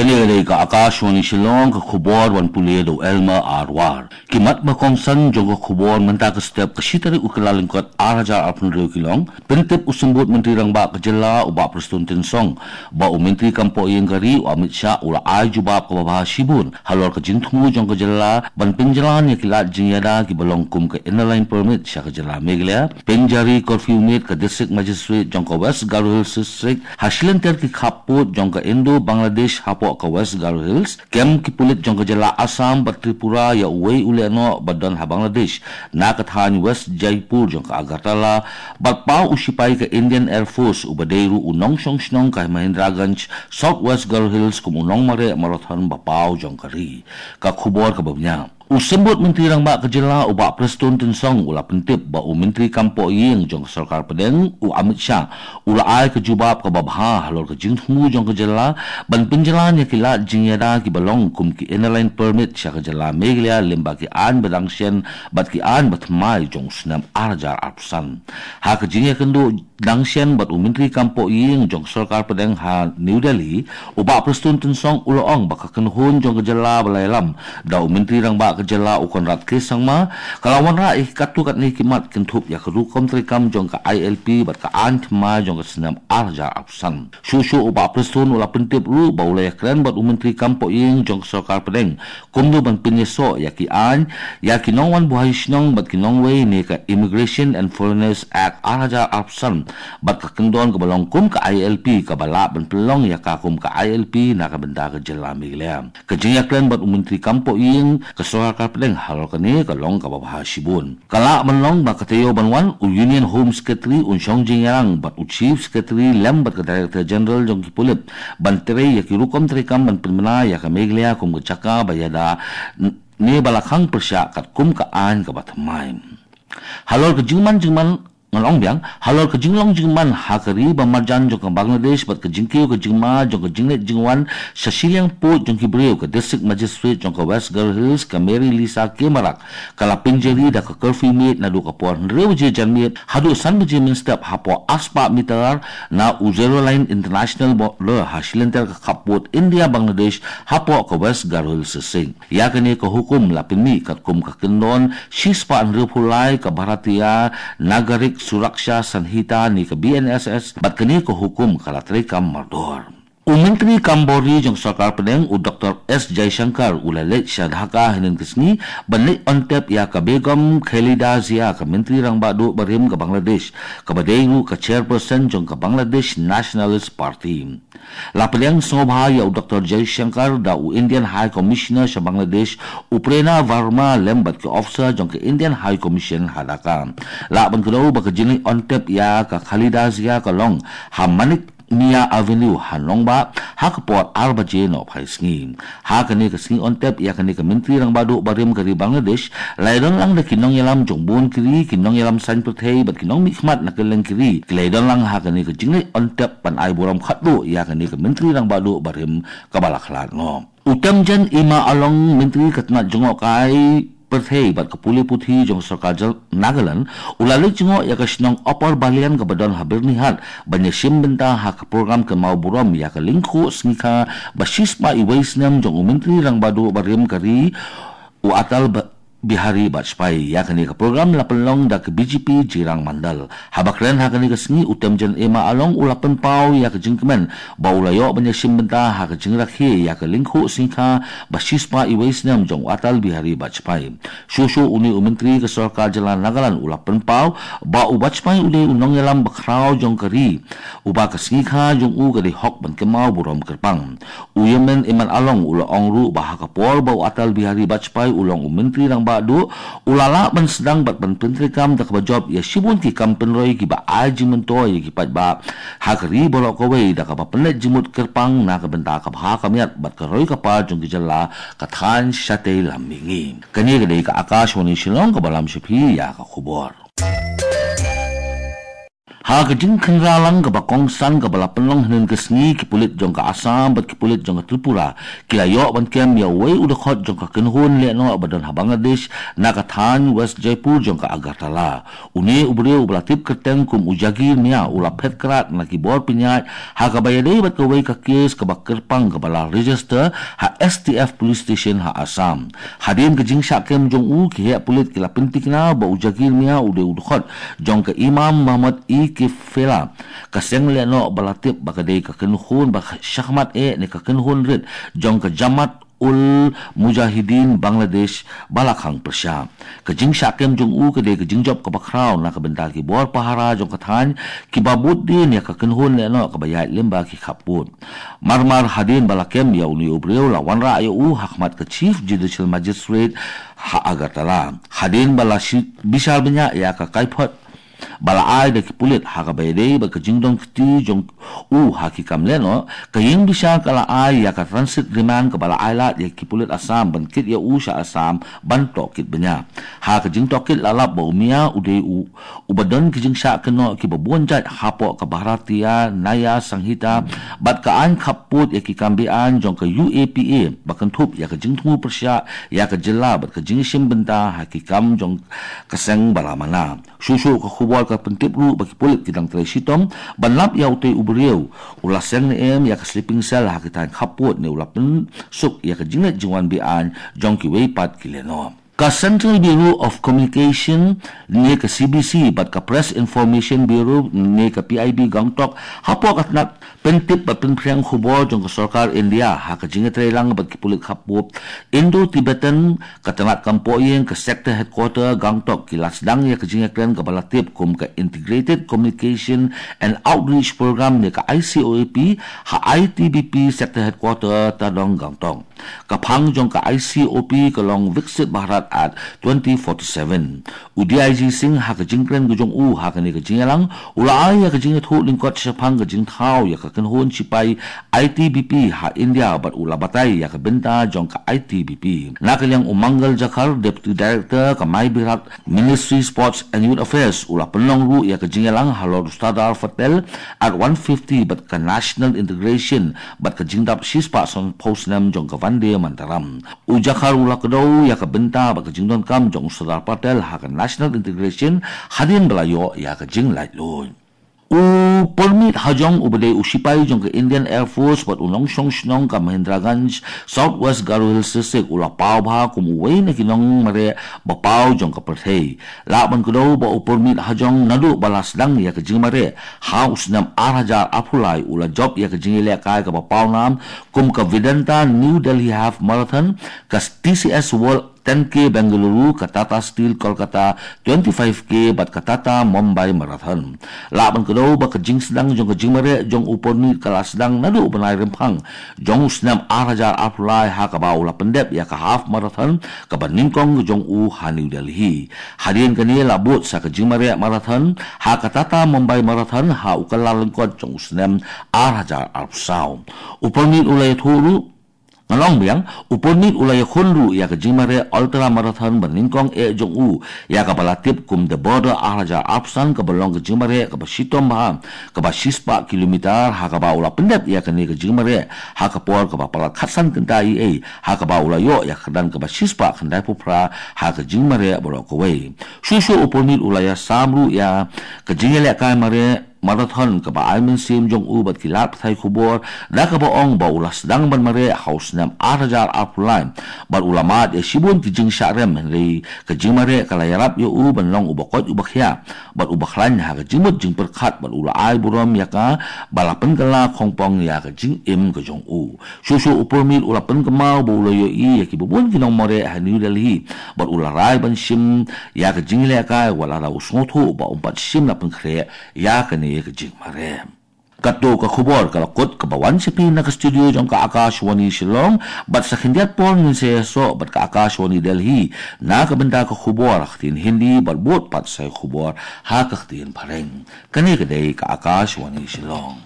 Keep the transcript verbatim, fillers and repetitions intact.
Ïa dei ka Akashvani Shillong, ka khubor ban pule da u Elmer Arwar. Ki mat ba kongsan jong ka khubor mynta ka step ka shi tarik u Kyllalyngkot ar hajar arphew hynriew ki long, pyntip u Symbud Myntri Rangbah ka jylla u Bah Prestone Tynsong ba u Myntri kam poh ïing ka ri u Amit Shah u la ai jubab kaba bha shibun halor ka jingthmu jong ka jylla ban pynjlan ïa ki lad jingïada kiba long kum ka Inner Line Permit sha ka jylla Meghalaya, pynjari curfew miet ka District Magistrate jong ka West Garo Hills District ha shilynter ki khappud jong ka Indo-Bangladesh hapoh ka West Garo Hills, kem ki pulit jong ka jylla Assam bad Tripura ïa uwei u lehnoh ba don ha Bangladesh na ka thaiñ West Jaipur jong ka Agartala, bad paw u shipai ka Indian Air Force uba dei ruh u nongshong shnong ka Mahendraganj, South West Garo Hills kum u nongmareh marathon ba paw jong ka ri. Ka khubor kaba bniah. U Symbud Myntri Rangbah ka jylla u Bah Prestone Tynsong u la pyntip ba u Myntri kam poh ïing jong ka Sorkar Pdeng u Amit Shah u la ai ka jubab kaba bha halor ka jingthmu jong ka jylla ban pynjlan ïa ki lad jingïada kiba long kum ki Inner Line Permit sha ka jylla Meghalaya lyngba ki aiñ ba dang shen bad ki aiñ ba thymmai jong u snem ar hajar arphew san. Ha ka jingïakynduh dang shen bad u Myntri kam poh ïing jong ka Sorkar Pdeng ha New Delhi, u Bah Prestone Tynsong u la ong ba ka kynhun jong ka jylla ba la ïalam da u Myntri Rangbah ka jylla u Conrad K Sangma ka la wanrah ïa ki katto katne ki mat kynthup ïa ka rukom treikam jong ka I L P bad ka aiñ thymmai jong ka snem ar hajar arphew san. Shuh shuh u Bah Prestone u la pyntip ruh ba u la ïakren bad u Myntri kam poh ïing jong ka Sorkar Pdeng kumno ban pynïasoh ïa ki aiñ ïa ki nongwan buhai shnong bad ki nongwei ne ka Immigration and Foreigners Act ar hajar arphew san bad ka kyndon kaba long kum ka I L P kaba lah ban pynlong ïa ka kum ka I L P na ka bynta ka jylla Meghalaya. Ka jingïakren bad u Myntri kam poh ïing ka Sorkar Pdeng halor kane ka long kaba bha shibun. Ka lah ban long ba ka taïew ban wan u Union Home Secretary un shong jingïalang bad u Chief Secretary lem bad ka Director General jong ki pulit ban trei ïa ki rukom treikam ban pynbna ïa ka Meghalaya kum ka jaka ba ïada n- ne ba la khang pyrshah katkum ka aiñ kaba thymmai. Halor ka jingman jingman, ngan ong biang, halor ka jinglong jingman ha ka ri ba marjan jong ka Bangladesh bad ka jingkiew ka jingma jong ka jingleit jingwan sha shiliang pud jong ki briew, ka District Magistrate jong ka West Garo Hills ka Mary Lisa K Marak ka la pynjari da ka curfew miet naduh ka por hynriew baje janmiet haduh san baje mynstep hapoh arspah mitar na u Zero Line International Border ha shilynter ka khappud India Bangladesh hapoh ka West Garo Hills District. Ïa kane ka hukum la pynmih katkum ka kyndon shispah hynriewphew lai ka Bharatiya Nagarik Suraksha Sanhita ne ka B N S S bad kane ka hukum ka la treikam mardor. U Myntri kam bor ri jong ka Sorkar Pdeng u Doctor S Jaishankar u la leit sha Dhaka hynnin ka sngi ban leit ontep ïa ka Begum Khaleda Zia, ka Myntri Rangbah Duh barim ka Bangladesh, kaba dei ruh ka Chairperson jong ka Bangladesh Nationalist Party. La pdiang sngewbha ïa u Doctor Jaishankar da u Indian High Commissioner sha Bangladesh u Prerna Verma lem bad ki officer jong ka Indian High Commission ha Dhaka. Lah ban kdew ba ka jingleit ontep ïa ka Khaleda Zia ka long ha Manik Mia Avenue ha Nongbah ha ka por ar baje nohphai sngi. Ha kane ka sngi ontep ïa kane ka Myntri Rangbah Duh barim ka ri Bangladesh, la ïadon lang da ki nongïalam jong bun ki ri, ki nongïalam saiñ pyrthei bad ki nongmihkhmat na kylleng ki ri ki la ïadon lang ha kane ka jingleit ontep ban ai burom khatduh ïa kane ka Myntri Rangbah Duh barim kaba la khlad noh. U Temjen Imma Along, Myntri ka tnat jngohkai pyrthei bad ka pule puthi jong ka Sorkar Jylla Nagaland, u la leit jngoh ïa ka shnong Upper Balian kaba don ha Byrnihat ban ïashim bynta ha ka prokram kynmaw burom ïa ka lyngkhuh sngikha ba shispah iwei snem jong u Myntri Rangbah Duh barim ka ri u Atal Ba- Bihari Vajpayee. Ïa kane ka prokram la pynlong da ka B J P Jirang Mandal. Haba kren ha kane ka sngi u Temjen Imma Along u la pynpaw ïa ka jingkmen ba u la ïoh ban ïashim bynta ha ka jingrakhe ïa ka lyngkhuh sngikha ba shispah iwei snem jong u Atal Bihari Vajpayee. Shuh shuh une u Myntri ka Sorkar Jylla Nagaland u la pynpaw ba u Vajpayee u dei u nongïalam bakhraw jong ka ri uba ka sngikha jong u ka dei hok ban kynmaw burom kyrpang. U Temjen Imma Along u la ong ruh ba ha ka por ba u Atal Bihari Vajpayee u long u Myntri Rangbah Duh, u la lah ban sdang bad ban pyntreikam da kaba jop ïa shibun ki kam pynroi kiba ai jingmyntoi ïa ki paidbah ha ka ri baroh kawei da kaba pynleit jingmut kyrpang na ka bynta ka bha ka miat bad ka roi ka par jong ki jylla, ka thaiñ shatei lam mihngi. Kane ka dei ka Akashvani Shillong kaba lam sha phi ïa ka khubor. Ha ka jingkhynra lang kaba kongsan kaba la pynlong hynnin ka sngi, ki pulit jong ka Assam bad ki pulit jong ka Tripura ki la ïoh ban kem ïa uwei u dkhot jong ka kynhun lehnoh ba don ha Bangladesh na ka thaiñ West Jaipur jong ka Agartala. Une u briew uba la tip kyrteng kum u Jagir Mia u la phet krad na ki bor pynïaid ha kaba ïadei bad kawei ka kes kaba kyrpang kaba la register ha S T F Police Station ha Assam. Hadien ka jingshah kem jong u, ki heh pulit ki la pyntikna ba u Jagir Mia u dei u dkhot jong ka Imam Muhammad E K Fela, ka seng lehnoh ba la tip ba ka dei ka kynhun ba shakhmat eh ne ka kynhun rit jong ka Jamaat ul Mujahideen Bangladesh ba la khang pyrshah. Ka jingshah kem jong u ka dei ka jingjop kaba khraw na ka bynta ki bor pahara jong ka thaiñ kiba bud dien ïa ka kynhun lehnoh kaba ïaid lyngba ki khappud. Marmar hadien ba la kem ïa une u briew, la wanrah ïa u ha khmat ka Chief Judicial Magistrate ha Agartala. Hadien ba la shi-, bishar bniah ïa ka kaiphod ba la ai da ki pulit ha kaba ïadei bad ka jingdon kti jong u ha ki kam lehnoh, ka ïingbishar ka la ai ïa ka transit remand kaba la ai lad ïa ki pulit Assam ban kit ïa u sha Assam ban tohkit bniah. Ha ka jingtohkit la lap ba u Mia u dei u uba don ki jingshah kynnoh kiba bun jait hapoh ka Bharatiya Nyaya Sanhita bad ka aiñ khappud ïa ki kam beaiñ jong ka U A P A ba kynthup ïa ka jingthmu pyrshah ïa ka jylla bad ka jingshim bynta ha ki kam jong ka seng ba la mana. Shuh shuh ka khubor ka pyntip ruh ba ki pulit ki dang trei shitom ban lap ïa utei u briew uba la seng ne em ïa ka sleeping cell ha ki thaiñ khappud ne u la pynsuk ïa ka jingleit jingwan beaiñ jong kiwei pat ki lehnoh. Ka Central Bureau of Communication ne ka C B C bad ka Press Information Bureau ne ka P I B Gangtok, hapoh ka tnat pyntip bad pynphriang khubor jong ka sorkar India ha ka jingïatreilang bad ki pulit khappud Indo-Tibetan, ka tnat kam pohïing ka Sector Headquarter Gangtok ki la sdang ïa ka jingïakren kaba la tip kum ka Integrated Communication and Outreach Program ne ka I C O A P ha I T B P Sector Headquarter Tadong Gangtok. Ka phang jong ka I C O P ka long Viksit Bharat at twenty forty-seven. U D I G Singh ha ka jingkren ka jong u ha kane ka jingïalang u la ai ïa ka jingïathuh lyngkot shaphang ka jingthaw ïa ka kynhun shipai I T B P ha India bad u la batai ïa ka bynta jong ka I T B P. Na ka liang u Mangal Jakhar, Deputy Director ka My Bharat Ministry Sports and Youth Affairs, u la pynlong ruh ïa ka jingïalang halor u Sardar Patel at one fifty bad ka National Integration bad ka jingdap shispah sanphew snem jong ka Vande Mataram. U Jakhar u la kdew ïa ka bynta bad ka jingdonkam jong u Sardar Patel ha ka National Integration hadien ba la ïoh ïa ka jinglaitluid. U Purmeet Hajong uba dei u shipai jong ka Indian Air Force bad u nongshong shnong ka Mahendraganj, South West Garo Hills District, u la paw bha kum uwei na ki nongmareh ba paw jong ka pyrthei. Lah ban kdew ba u Purmeet Hajong naduh ba la sdang ïa ka jingmareh ha u snem ar hajar arphew lai, u la jop ïa ka jingïalehkai kaba pawnam kum ka Vedanta New Delhi Half Marathon, ka T C S World ten K Bengaluru, ka Tata Steel Kolkata twenty-five K bad ka Tata Mumbai Marathon. Lah ban kdew ba ka jingsdang jong ka jingmareh jong u Purmeet ka la sdang naduh u bnai Rymphang jong u snem ar hajar arphew lai ha kaba u la pyndep ïa ka half marathon kaba nyngkong ka jong u ha New Delhi. Hadien kane la bud sa ka jingmareh marathon ha ka Tata Mumbai Marathon ha u Kyllalyngkot jong u snem ar hajar arphew saw. U Purmeet u la ïathuh ruh, ngan ong biang, u Purmeet u la ïakhun ruh ïa ka jingmareh ultra marathon ba nyngkong eh jong u, ïa kaba la tip kum The Border ar hajar arphew san, kaba long ka jingmareh kaba shitom bha, kaba shispah kilometer, ha kaba u la pyndep ïa kane ka jingmareh ha ka por kaba palat khatsan kynta eiei, ha kaba u la ïoh ïa ka kyrdan kaba shispah khyndaiphew phra ha ka jingmareh baroh kawei. Shuh shuh u Purmeet u la ïasam ruh ïa ka jingïalehkai mareh marathon kaba ai mynsiem jong u bad ki lad pathai khubor, da kaba ong ba u la sdang ban mareh ha u snem ar hajar arphew lai bad u la mad ïa shibun ki jingshah rem, hynrei ka jingmareh ka la ïarap ïa u ban long uba koit uba khiah bad uba khlaiñ ha ka jingmut jingpyrkhat bad u la ai burom ïa kaba la pynkylla khongpong ïa ka jingim ka jong u. Shuh shuh u Purmeet u la pynkynmaw ba u la ïohi ïa kiba bun ki nongmareh ha New Delhi bad u la rai ban shim ïa ka jingïalehkai wat lada u sngewthuh ba um pat shym la pynkhreh ïa kane ka jingmareh. Katto ka khubor ka la kut kaba wan sha phi na ka studio jong ka Akashvani Shillong, bad sa khyndiat por ngin sa ïasoh bad ka Akashvani Delhi na ka bynta ka khubor ha ka ktien Hindi bad bud pat sa ïa ka khubor ha ka ktien Phareng. Kane ka dei ka Akashvani Shillong.